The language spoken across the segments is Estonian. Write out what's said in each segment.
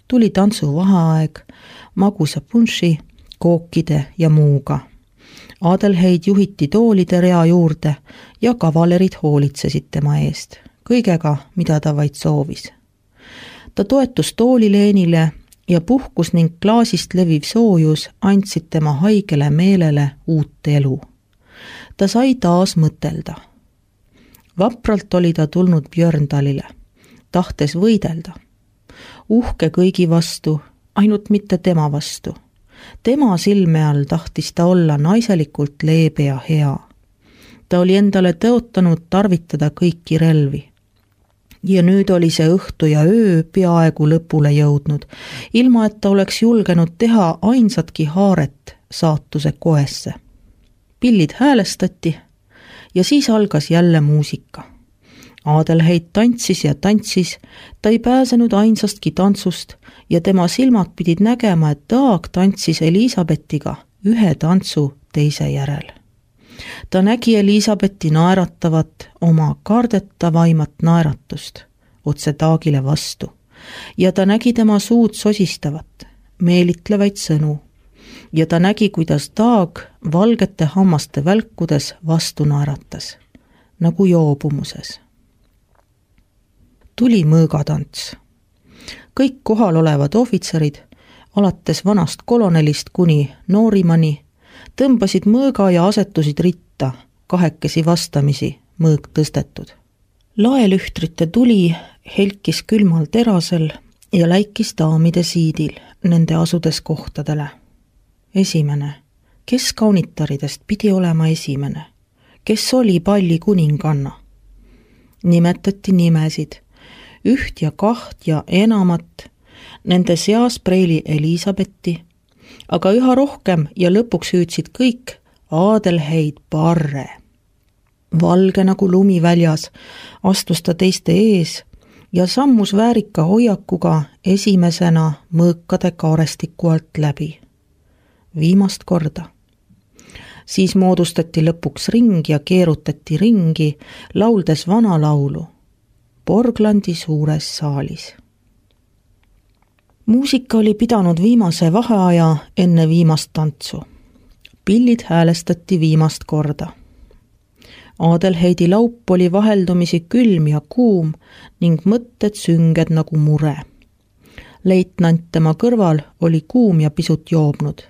Tuli tantsuvaheaeg, magusa punši, kookide ja muuga. Adelheid juhiti toolide rea juurde ja kavalerid hoolitsesid tema eest, kõigega, mida ta vaid soovis. Ta toetus toolileenile ja puhkus ning klaasist leviv soojus andsid tema haigele meelele uut elu. Ta sai taas mõtelda. Vapralt oli ta tulnud Björndalile, tahtes võidelda. Uhke kõigi vastu, ainult mitte tema vastu. Tema silme all tahtis ta olla naiselikult leebe ja hea. Ta oli endale tõotanud tarvitada kõiki relvi. Ja nüüd oli see õhtu ja öö peaaegu lõpule jõudnud, ilma et ta oleks julgenud teha ainsatki haaret saatuse koesse. Pillid häälestati ja siis algas jälle muusika. Adelheid tantsis ja tantsis, ta ei pääsenud ainsastki tantsust ja tema silmad pidid nägema, et Dag tantsis Elisabetiga ühe tantsu teise järel. Ta nägi Elisabetti naeratavat, oma kardetavaimat naeratust otse Dagile vastu ja ta nägi tema suud sosistavat, meelitlevaid sõnu ja ta nägi, kuidas Dag valgete hammaste välkudes vastu naeratas, nagu joobumuses. Tuli mõõgatants. Kõik kohal olevad ohvitserid, alates vanast kolonelist kuni noorimani, tõmbasid mõõga ja asetusid ritta, kahekesi vastamisi, mõõg tõstetud. Laelühtrite tuli helkis külmal terasel ja läikis daamide siidil, nende asudes kohtadele. Esimene, kes kaunitaridest pidi olema esimene, kes oli palli kuninganna? Nimetati nimesid, üht ja kaht ja enamat, nende seas preili Elisabetti, aga üha rohkem ja lõpuks hüüdsid kõik Adelheid Parre. Valge nagu lumi väljas astus ta teiste ees ja sammus väärika hoiakuga esimesena mõõkade kaarestiku alt läbi. Viimast korda. Siis moodustati lõpuks ring ja keerutati ringi, lauldes vana laulu Borglandi suures saalis. Muusika oli pidanud viimase vaheaja enne viimast tantsu. Pillid häälestati viimast korda. Adelheidi laup oli vaheldumisi külm ja kuum ning mõtted sünged nagu mure. Leitnant tema kõrval oli kuum ja pisut joobnud.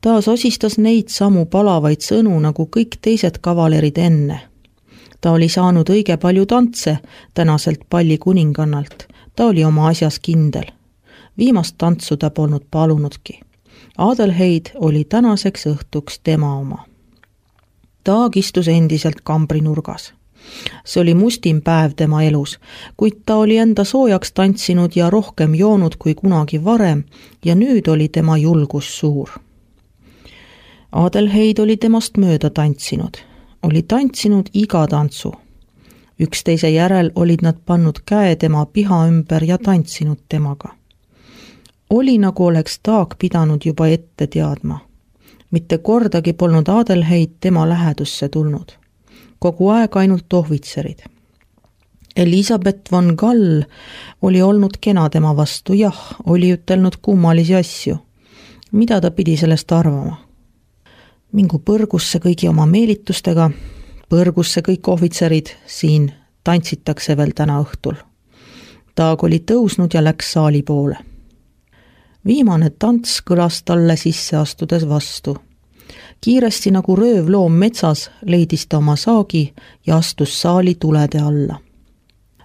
Taas osistas neid samu palavaid sõnu nagu kõik teised kavalerid enne. Ta oli saanud õige palju tantse tänaselt palli kuningannalt. Ta oli oma asjas kindel. Viimast tantsu ta polnud palunudki. Adelheid oli tänaseks õhtuks tema oma. Dag istus endiselt kambrinurgas. See oli mustim päev tema elus, kuid ta oli enda soojaks tantsinud ja rohkem joonud kui kunagi varem ja nüüd oli tema julgus suur. Adelheid oli temast mööda tantsinud. Oli tantsinud iga tantsu. Üksteise järel olid nad pannud käe tema piha ümber ja tantsinud temaga. Oli nagu oleks Dag pidanud juba ette teadma. Mitte kordagi polnud Adelheid tema lähedusse tulnud. Kogu aeg ainult ohvitserid. Elisabeth von Gall oli olnud kena tema vastu, jah, oli ütelnud kummalisi asju. Mida ta pidi sellest arvama? Mingu põrgusse kõigi oma meelitustega, põrgusse kõik ohvitserid, siin tantsitakse veel täna õhtul. Dag oli tõusnud ja läks saali poole. Viimane tants kõlas talle sisse astudes vastu. Kiiresti nagu röövloom metsas leidis ta oma saagi ja astus saali tulede alla.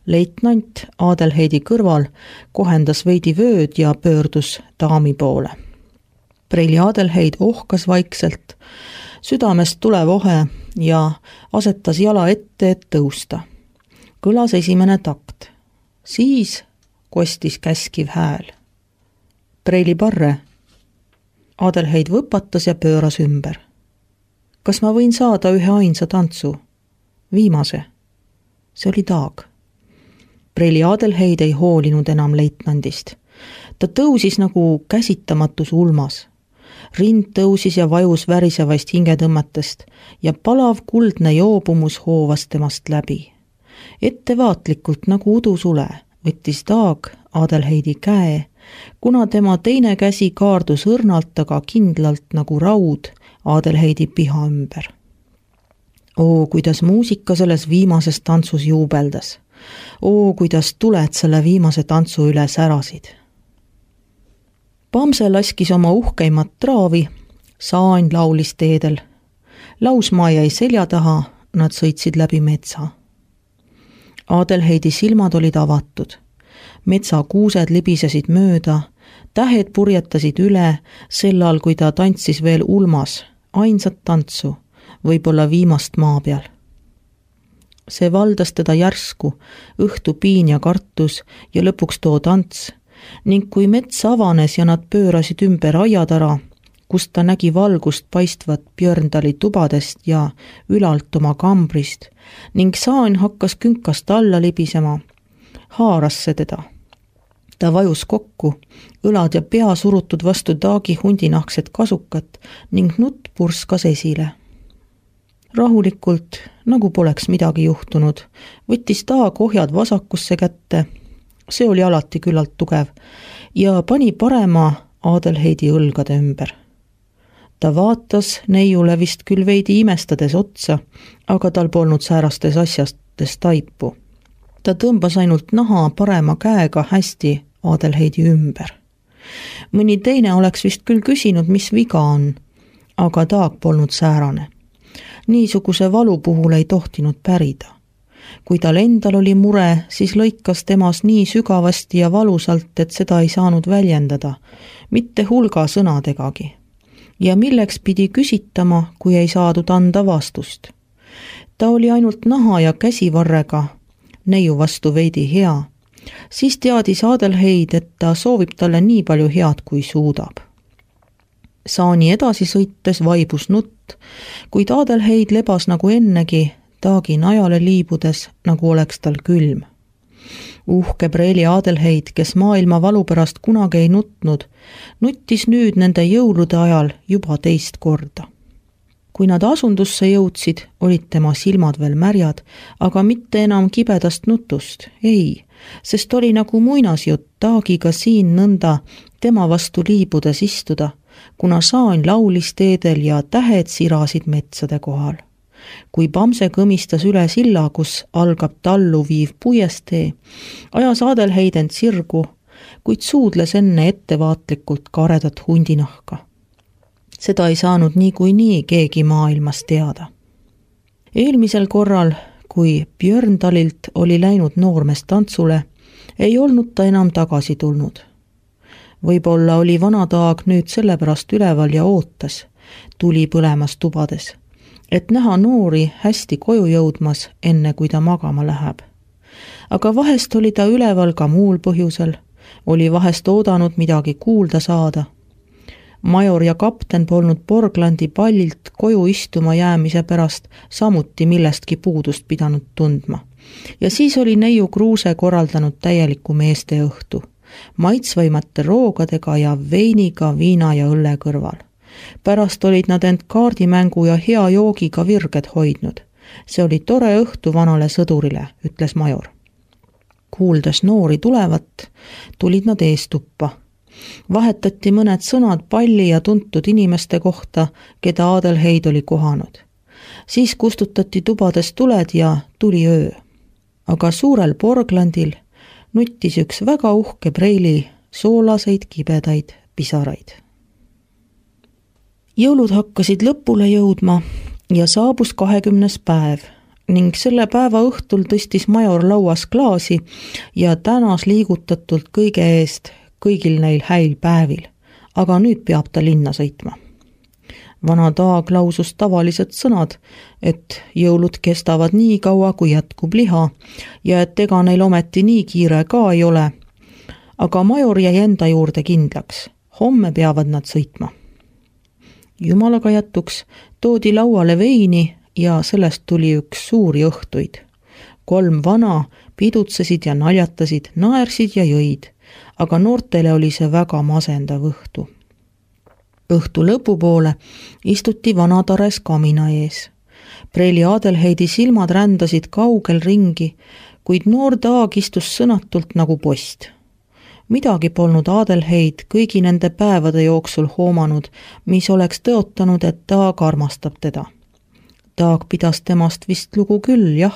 Leitnant Adelheidi kõrval kohendas veidi vööd ja pöördus daami poole. Preili Adelheid ohkas vaikselt, südamest tulev ohe ja asetas jala ette, et tõusta. Kõlas esimene takt. Siis kostis käskiv hääl. Preili Parre. Adelheid võpatas ja pööras ümber. Kas ma võin saada ühe ainsa tantsu? Viimase. See oli Dag. Preili Adelheid ei hoolinud enam leitnandist. Ta tõusis nagu käsitamatus ulmas. Rind tõusis ja vajus värisevaist hingetõmmetest ja palav kuldne joobumus hoovas temast läbi. Ettevaatlikult nagu udusule võttis Dag Adelheidi käe kuna tema teine käsi kaardus õrnalt, aga kindlalt nagu raud Adelheidi piha ümber. Oo, kuidas muusika selles viimases tantsus juubeldas. Oo, kuidas tuled selle viimase tantsu üle särasid. Bamse laskis oma uhkeimat traavi, Saan laulis teedel. Lausmaa jäi selja taha, nad sõitsid läbi metsa. Adelheidi silmad olid avatud. Metsa kuused libisesid mööda, tähed purjetasid üle, sellal kui ta tantsis veel ulmas, ainsat tantsu, võib-olla viimast maa peal. See valdas teda järsku, õhtu piin ja kartus ja lõpuks too tants, ning kui mets avanes ja nad pöörasid ümber aiatara, kust ta nägi valgust paistvat Björndali tubadest ja ülalt oma kambrist, ning Saan hakkas künkast alla libisema, haaras see teda. Ta vajus kokku, õlad ja pea surutud vastu Taagi hundinahksed kasukat ning nutt purskas esile. Rahulikult, nagu poleks midagi juhtunud, võttis Taag ohjad vasakusse kätte, see oli alati küllalt tugev, ja pani parema Adelheidi õlgade ümber. Ta vaatas neiule vist küll veidi imestades otsa, aga tal polnud säärastes asjastes taipu. Ta tõmbas ainult naha parema käega hästi Adelheidi ümber. Mõni teine oleks vist küll küsinud, mis viga on, aga Taag polnud säärane. Niisuguse valu puhul ei tohtinud pärida. Kui tal endal oli mure, siis lõikas temas nii sügavasti ja valusalt, et seda ei saanud väljendada, mitte hulga sõnadegagi. Ja milleks pidi küsitama, kui ei saadud anda vastust. Ta oli ainult naha ja käsivarrega, neiu vastu veidi hea. Siis teadis Adelheid, et ta soovib talle nii palju head, kui suudab. Saani edasi sõites vaibus nutt, kuid Adelheid lebas nagu ennegi, Taagi najale liibudes, nagu oleks tal külm. Uhke preeli Adelheid, kes maailma valu pärast kunagi ei nutnud, nuttis nüüd nende jõulude ajal juba teist korda. Kui nad asundusse jõudsid, olid tema silmad veel märjad, aga mitte enam kibedast nutust, ei, sest oli nagu muinasjutt Taagiga siin nõnda tema vastu liibudes istuda, kuna Saan laulis teedel ja tähed sirasid metsade kohal. Kui Bamse kõmistas üle silla, kus algab tallu viiv puiestee, ajas Adelheid end sirgu, kuid suudles enne ettevaatlikult karedat hundinahka. Seda ei saanud niikuinii keegi maailmas teada. Eelmisel korral, kui Björndalilt oli läinud noormees tantsule, ei olnud ta enam tagasi tulnud. Võib-olla oli vana Taag nüüd sellepärast üleval ja ootas, tuli põlemas tubades, et näha noori hästi koju jõudmas, enne kui ta magama läheb. Aga vahest oli ta üleval ka muul põhjusel, oli vahest oodanud midagi kuulda saada. Major ja kapten polnud Borglandi pallilt koju istuma jäämise pärast samuti millestki puudust pidanud tundma. Ja siis oli neiu Kruuse korraldanud täieliku meeste õhtu, maitsvaimate roogadega ja veiniga viina ja õlle kõrval. Pärast olid nad end kaardimängu ja hea joogiga virged hoidnud. See oli tore õhtu vanale sõdurile, ütles major. Kuuldes noori tulevat, tulid nad eestuppa. Vahetati mõned sõnad palli ja tuntud inimeste kohta, keda Adelheid oli kohanud. Siis kustutati tubades tuled ja tuli öö. Aga suurel Borglandil nuttis üks väga uhke preili soolaseid kibedaid pisaraid. Jõulud hakkasid lõpule jõudma ja saabus 20. päev ning selle päeva õhtul tõstis major lauas klaasi ja tänas liigutatult kõige eest kõigil neil häil päevil, aga nüüd peab ta linna sõitma. Vana Taag lausus tavalised sõnad, et jõulud kestavad nii kaua, kui jätkub liha ja et ega neil ometi nii kiire ka ei ole, aga major jäi enda juurde kindlaks, homme peavad nad sõitma. Jumalaga jätuks toodi lauale veini ja sellest tuli üks suuri õhtuid. 3 vana pidutsesid ja naljatasid, naersid ja jõid, aga noortele oli see väga masendav õhtu. Õhtu lõpupoole istuti vanatares kamina ees. Preili Adelheidi silmad rändasid kaugel ringi, kuid noor Taag istus sõnatult nagu post. Midagi polnud Adelheid kõigi nende päevade jooksul hoomanud, mis oleks tõotanud, et Taag armastab teda. Taag pidas temast vist lugu küll, jah,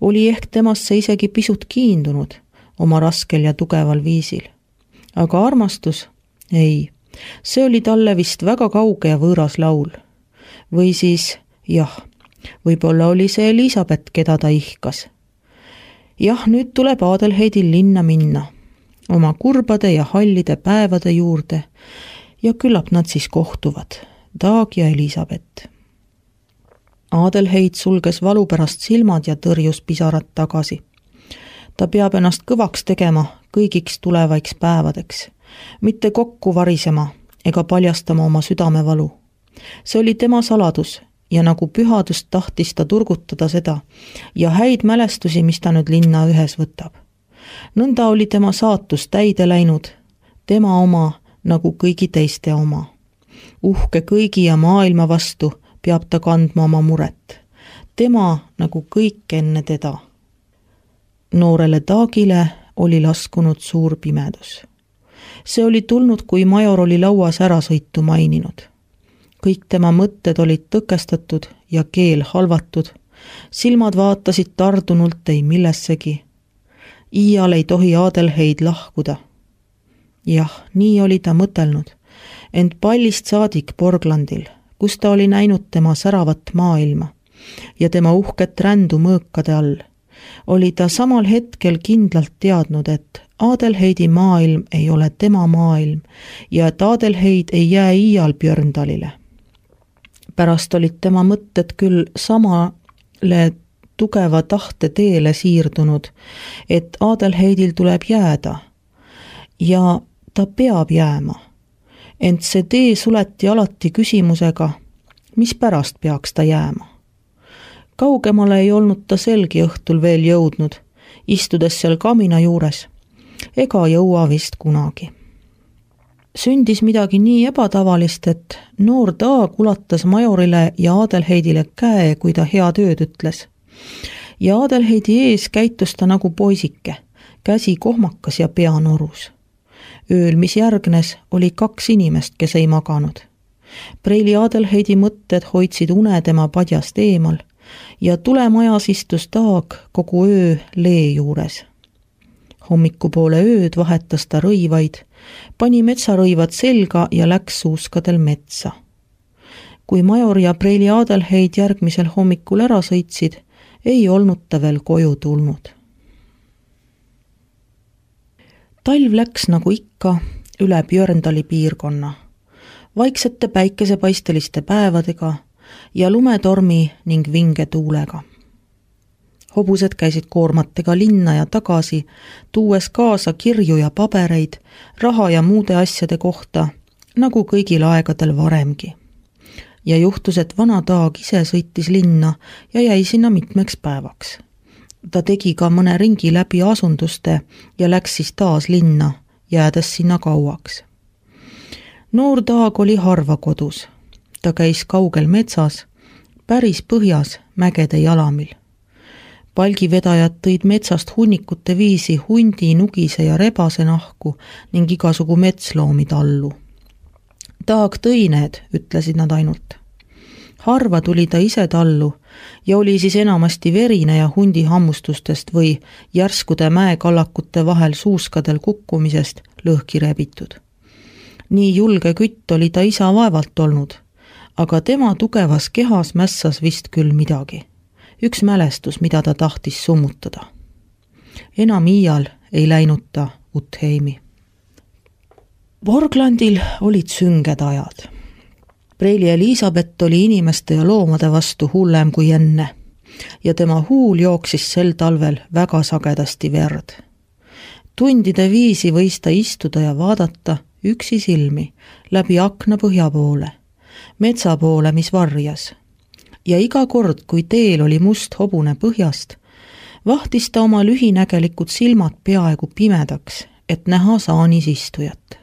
oli ehk temasse isegi pisut kiindunud oma raskel ja tugeval viisil. Aga armastus? Ei, see oli talle vist väga kauge ja võõras laul. Või siis, jah, võib-olla oli see Elisabeth, keda ta ihkas. Jah, nüüd tuleb Adelheidil linna minna, oma kurbade ja hallide päevade juurde ja küllap nad siis kohtuvad, Taag ja Elisabeth. Adelheid sulges valu pärast silmad ja tõrjus pisarad tagasi. Ta peab ennast kõvaks tegema kõigiks tulevaiks päevadeks, mitte kokku varisema ega paljastama oma südamevalu. See oli tema saladus ja nagu pühadust tahtis ta turgutada seda ja häid mälestusi, mis ta nüüd linna ühes võtab. Nõnda oli tema saatus täide läinud, tema oma nagu kõigi teiste oma. Uhke kõigi ja maailma vastu peab ta kandma oma muret. Tema nagu kõik enne teda. Noorele Taagile oli laskunud suur pimedus. See oli tulnud, kui major oli lauas ärasõitu maininud. Kõik tema mõtted olid tõkestatud ja keel halvatud. Silmad vaatasid tardunult ei millessegi. Iial ei tohi Adelheid lahkuda. Jah, nii oli ta mõtelnud, ent pallist saadik Borglandil, kus ta oli näinud tema säravat maailma ja tema uhket rändu mõõkade all, oli ta samal hetkel kindlalt teadnud, et Adelheidi maailm ei ole tema maailm ja et Adelheid ei jää iial Björndalile. Pärast olid tema mõtted küll samale tugeva tahte teele siirdunud, et Adelheidil tuleb jääda ja ta peab jääma. Ent see tee suleti alati küsimusega, mis pärast peaks ta jääma. Kaugemale ei olnud ta selgi õhtul veel jõudnud, istudes seal kamina juures, ega jõua vist kunagi. Sündis midagi nii ebatavalist, et noor Taag ulatas majorile ja Adelheidile käe, kui ta head ööd ütles. Ja Adelheidi ees käitus ta nagu poisike, käsi kohmakas ja pea norus. Ööl, mis järgnes, oli 2 inimest, kes ei maganud. Preili Adelheidi mõtted hoidsid une tema padjast eemal ja tulemajas istus Taag kogu öö lee juures. Hommikupoole ööd vahetas ta rõivaid, pani metsarõivad selga ja läks suuskadel metsa. Kui major ja Preili Adelheid järgmisel hommikul ära sõitsid, ei olnud ta veel koju tulnud. Talv läks nagu ikka üle Björndali piirkonna, vaiksete päikesepaisteliste päevadega ja lumetormi ning vinge tuulega. Hobused käisid koormatega linna ja tagasi, tuues kaasa kirju ja pabereid, raha ja muude asjade kohta, nagu kõigil aegadel varemgi. Ja juhtus, et vana Taag ise sõitis linna ja jäi sinna mitmeks päevaks. Ta tegi ka mõne ringi läbi asunduste ja läks siis taas linna, jäädes sinna kauaks. Noor Taag oli harva kodus. Ta käis kaugel metsas, päris põhjas mägede jalamil. Palgivedajad tõid metsast hunnikute viisi hundi, nugise ja rebase nahku ning igasugu metsloomi tallu. Taag tõi need, ütlesid nad ainult. Harva tuli ta ise tallu ja oli siis enamasti verine ja hundi hammustustest või järskude mäekallakute vahel suuskadel kukkumisest lõhki rebitud. Nii julge kütt oli ta isa vaevalt olnud, aga tema tugevas kehas mässas vist küll midagi. Üks mälestus, mida ta tahtis summutada. Enam iial ei läinud ta Utheimi. Borglandil olid sünged ajad. Preili Elisabeth oli inimeste ja loomade vastu hullem kui enne ja tema huul jooksis sel talvel väga sagedasti verd. Tundide viisi võis ta istuda ja vaadata üksi silmi läbi akna põhja poole, metsa poole, mis varjas. Ja iga kord, kui teel oli must hobune põhjast, vahtis ta oma lühinägelikud silmad peaaegu pimedaks, et näha saanis istujat.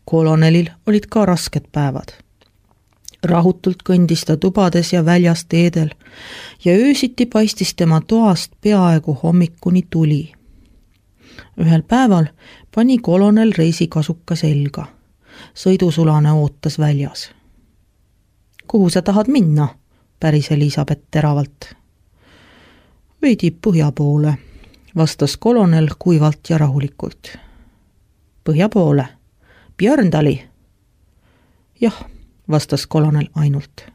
Kolonelil olid ka rasked päevad. Rahutult kõndis ta tubades ja väljas teedel ja öösiti paistis tema toast peaaegu hommikuni tuli. Ühel päeval pani kolonel reisikasuka selga. Sõidusulane ootas väljas. Kuhu sa tahad minna? Päris Elisabeth teravalt. Veidi põhja poole, vastas kolonel kuivalt ja rahulikult. Põhja poole? Björndali? Jah, vastas kolonel ainult.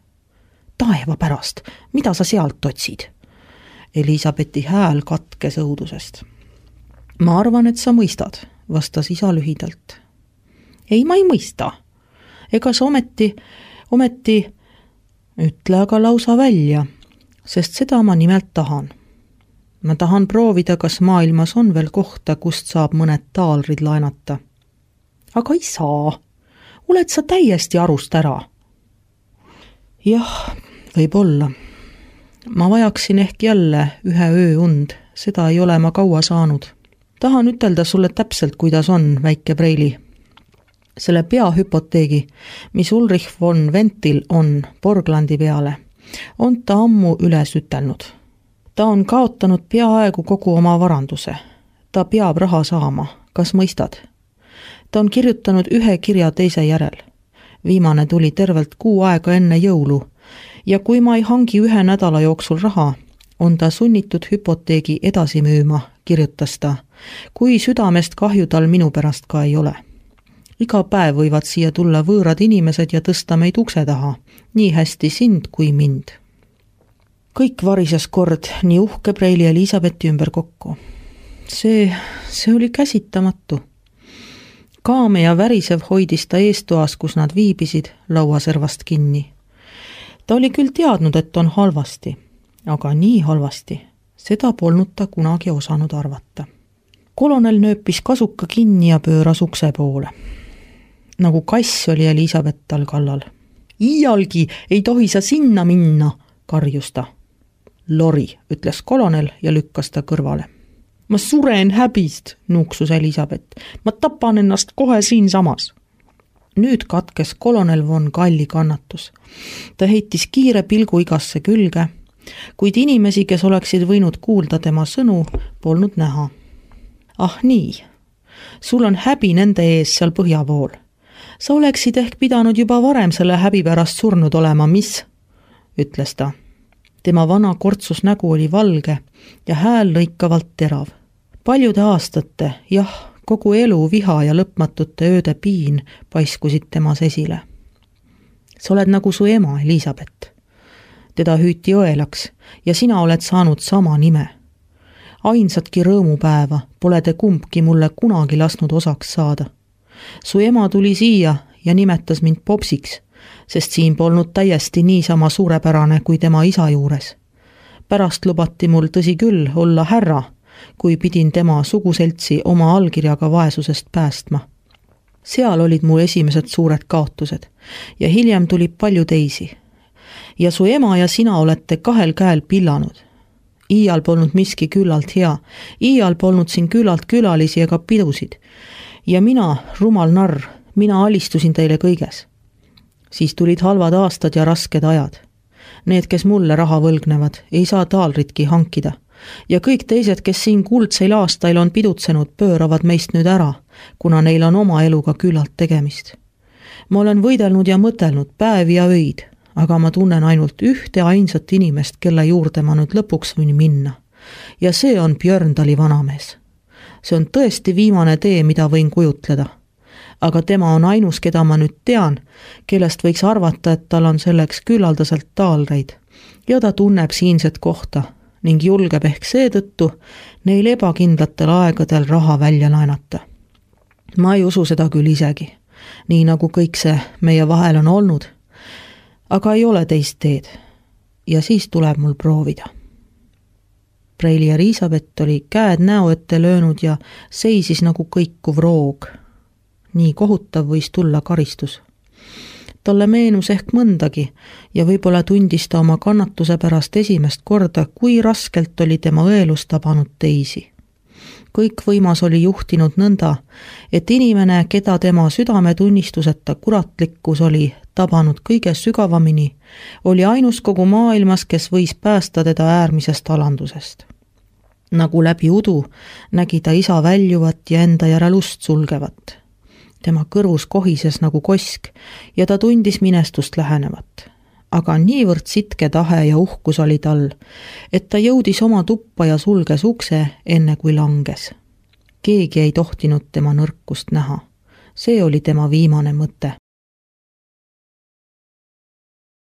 Taeva pärast, mida sa sealt otsid? Elisabethi hääl katkes õudusest. Ma arvan, et sa mõistad, vastas isa lühidalt. Ei, ma ei mõista. Ega sa ometi, ütle aga lausa välja, sest seda ma nimelt tahan. Ma tahan proovida, kas maailmas on veel kohta, kust saab mõned taalrid laenata. Aga ei saa. Oled sa täiesti arust ära? Jah, võib-olla. Ma vajaksin ehk jälle ühe öö und, seda ei ole ma kaua saanud. Tahan ütelda sulle täpselt, kuidas on, väike Preili. Selle peahüpoteegi, mis Ulrich von Ventil on Borglandi peale, on ta ammu üles ütelnud. Ta on kaotanud peaaegu kogu oma varanduse. Ta peab raha saama, kas mõistad? Ta on kirjutanud ühe kirja teise järel. Viimane tuli tervelt 6 aega enne jõulu ja kui ma ei hangi 1 nädala jooksul raha, on ta sunnitud hüpoteegi edasi müüma, kirjutas ta, kui südamest kahju tal minu pärast ka ei ole. Iga päev võivad siia tulla võõrad inimesed ja tõsta meid ukse taha, nii hästi sind kui mind. Kõik varises kord nii uhke Preili Elisabethi ümber kokku. See oli käsitamatu. Kaame ja värisev hoidis ta eestoas, kus nad viibisid, lauaservast kinni. Ta oli küll teadnud, et on halvasti, aga nii halvasti, seda polnud ta kunagi osanud arvata. Kolonel nööpis kasuka kinni ja pööras ukse poole. Nagu kass oli Elisabeth tal kallal. Iialgi ei tohi sa sinna minna, karjus ta. Lori, ütles kolonel ja lükkas ta kõrvale. Ma suren häbist, nuuksus Elisabeth. Ma tapan ennast kohe siin samas. Nüüd katkes kolonel von Galli kannatus. Ta heitis kiire pilgu igasse külge, kuid inimesi, kes oleksid võinud kuulda tema sõnu, polnud näha. Ah nii, sul on häbi nende ees seal põhja pool. Sa oleksid ehk pidanud juba varem selle häbi pärast surnud olema, mis? Ütles ta. Tema vana kortsus nägu oli valge ja hääl lõikavalt terav. Paljude aastate, jah, kogu elu viha ja lõpmatute ööde piin paiskusid temas esile. Sa oled nagu su ema, Elisabeth. Teda hüüti õelaks ja sina oled saanud sama nime. Ainsatki rõõmupäeva pole te kumbki mulle kunagi lasknud osaks saada. Su ema tuli siia ja nimetas mind popsiks, sest siin polnud täiesti niisama suurepärane kui tema isa juures. Pärast lubati mul tõsi küll olla härra, kui pidin tema suguseltsi oma allkirjaga vaesusest päästma. Seal olid mu esimesed suured kaotused ja hiljem tuli palju teisi. Ja su ema ja sina olete 2 käel pillanud. Iial polnud miski küllalt hea, iial polnud siin küllalt külalisi ega pidusid. Ja mina, rumal narr, mina alistusin teile kõiges. Siis tulid halvad aastad ja rasked ajad. Need, kes mulle raha võlgnevad, ei saa taalritki hankida. Ja kõik teised, kes siin kuldseil aastail on pidutsenud, pööravad meist nüüd ära, kuna neil on oma eluga küllalt tegemist. Ma olen võidelnud ja mõtelnud päevi ja öid, aga ma tunnen ainult ühte ainsat inimest, kelle juurde ma nüüd lõpuks võin minna. Ja see on Björndali vanamees. See on tõesti viimane tee, mida võin kujutleda. Aga tema on ainus, keda ma nüüd tean, kellest võiks arvata, et tal on selleks küllaldaselt taalreid. Ja ta tunneb siinset kohta ning julgeb ehk seetõttu neil ebakindlatel aegadel raha välja laenata. Ma ei usu seda küll isegi, nii nagu kõik see meie vahel on olnud, aga ei ole teist teed ja siis tuleb mul proovida. Preili Elisabeth oli käed näo ette löönud ja seisis nagu kõikuv roog. Nii kohutav võis tulla karistus. Talle meenus ehk mõndagi ja võib-olla tundis ta oma kannatuse pärast esimest korda, kui raskelt oli tema õelus tabanud teisi. Kõik võimas oli juhtinud nõnda, et inimene, keda tema südametunnistuseta kuratlikkus oli tabanud kõige sügavamini, oli ainus kogu maailmas, kes võis päästa teda äärmisest alandusest. Nagu läbi udu nägi ta isa väljuvat ja enda järel ust sulgevat. Tema kõrvus kohises nagu kosk ja ta tundis minestust lähenevat. Aga niivõrd sitke tahe ja uhkus oli tal, et ta jõudis oma tuppa ja sulges ukse, enne kui langes. Keegi ei tohtinud tema nõrkust näha. See oli tema viimane mõte.